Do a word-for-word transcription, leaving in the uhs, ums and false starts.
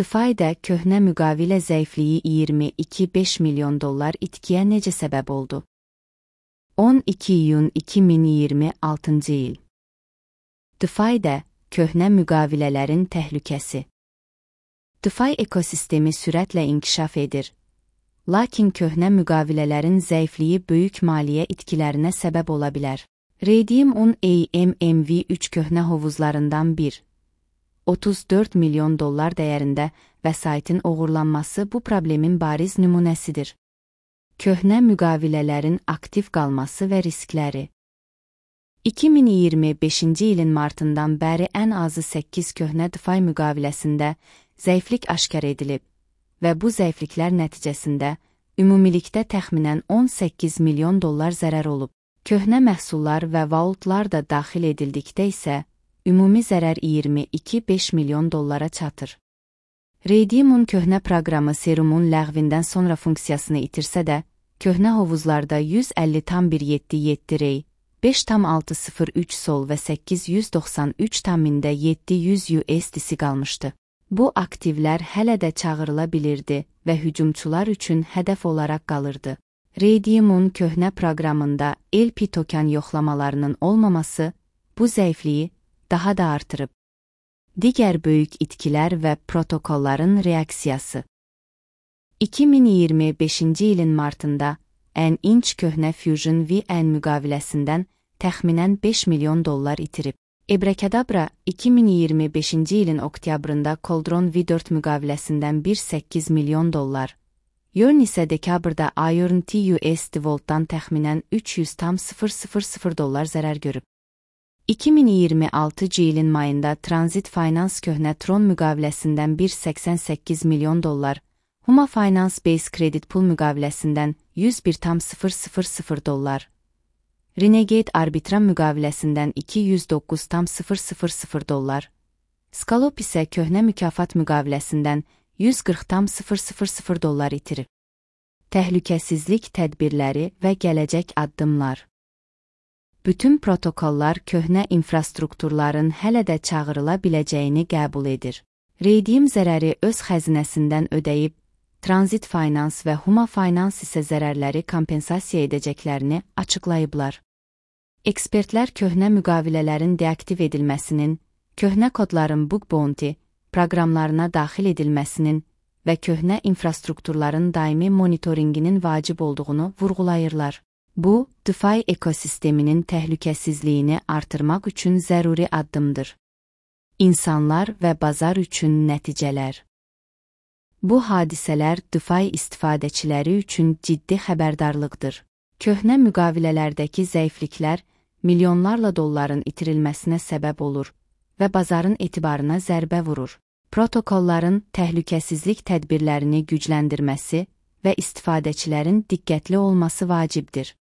DeFi'də köhnə müqavilə zəifliyi iyirmi iki nöqtə beş milyon dollar itkiyə necə səbəb oldu? on iki iyun iki min iyirmi altıncı il. DeFi'də köhnə müqavilələrin təhlükəsi. DeFi ekosistemi sürətlə inkişaf edir. Lakin köhnə müqavilələrin zəifliyi böyük maliyyə itkilərinə səbəb ola bilər. Raydium on A M M V üç köhnə hovuzlarından bir. otuz dörd milyon dollar dəyərində vəsaitin oğurlanması bu problemin bariz nümunəsidir. Köhnə müqavilələrin aktiv qalması və riskləri. iki min iyirmi beşinci ilin martından bəri ən azı səkkiz köhnə DeFi müqaviləsində zəiflik aşkar edilib və bu zəifliklər nəticəsində ümumilikdə təxminən on səkkiz milyon dollar zərər olub. Köhnə məhsullar və vaultlar da daxil edildikdə isə ümumi zərər iyirmi iki nöqtə beş milyon dollara çatır. Raydium'un köhnə proqramı Serumun ləğvindən sonra funksiyasını itirsə də, köhnə hovuzlarda yüz əlli tam bir yeddi yeddi Ray, beş tam altı sıfır üç Sol və səkkiz yüz doxsan üç tam yeddi yüz U S D C qalmışdı. Bu aktivlər hələ də çağırıla bilirdi və hücumçular üçün hədəf olaraq qalırdı. Raydium'un köhnə proqramında L P token yoxlamalarının olmaması bu zəifliyi daha da artırıb. Digər böyük itkilər və protokolların reaksiyası. iki min iyirmi beşinci ilin martında N-inch köhnə Fusion V N müqaviləsindən təxminən beş milyon dollar itirib. Abracadabra iki min iyirmi beşinci ilin oktyabrında Cauldron V dörd müqaviləsindən bir nöqtə səkkiz milyon dollar. Yearn isə dekabrda Iron T U S D Vault'dan təxminən üç yüz tam sıfır sıfır sıfır dollar zərər görüb. iki min iyirmi altıncı ilin mayında Transit Finance köhnə Tron müqaviləsindən bir nöqtə səksən səkkiz milyon dollar, Huma Finance Base Credit Pool müqaviləsindən yüz bir tam sıfır sıfır sıfır dollar, Renegade Arbitrum müqaviləsindən iki yüz doqquz tam sıfır sıfır sıfır dollar, Scalop isə köhnə mükafat müqaviləsindən yüz qırx tam sıfır sıfır sıfır dollar itirib. Təhlükəsizlik tədbirləri və gələcək addımlar. Bütün protokollar köhnə infrastrukturların hələ də çağırıla biləcəyini qəbul edir. Raydium zərəri öz xəzinəsindən ödəyib, Transit Finance və Huma Finance isə zərərləri kompensasiya edəcəklərini açıqlayıblar. Ekspertlər köhnə müqavilələrin deaktiv edilməsinin, köhnə kodların bug bounty proqramlarına daxil edilməsinin və köhnə infrastrukturların daimi monitoringinin vacib olduğunu vurğulayırlar. Bu, DeFi ekosisteminin təhlükəsizliyini artırmaq üçün zəruri addımdır. İnsanlar və bazar üçün nəticələr. Bu hadisələr DeFi istifadəçiləri üçün ciddi xəbərdarlıqdır. Köhnə müqavilələrdəki zəifliklər milyonlarla dolların itirilməsinə səbəb olur və bazarın etibarına zərbə vurur. Protokolların təhlükəsizlik tədbirlərini gücləndirməsi və istifadəçilərin diqqətli olması vacibdir.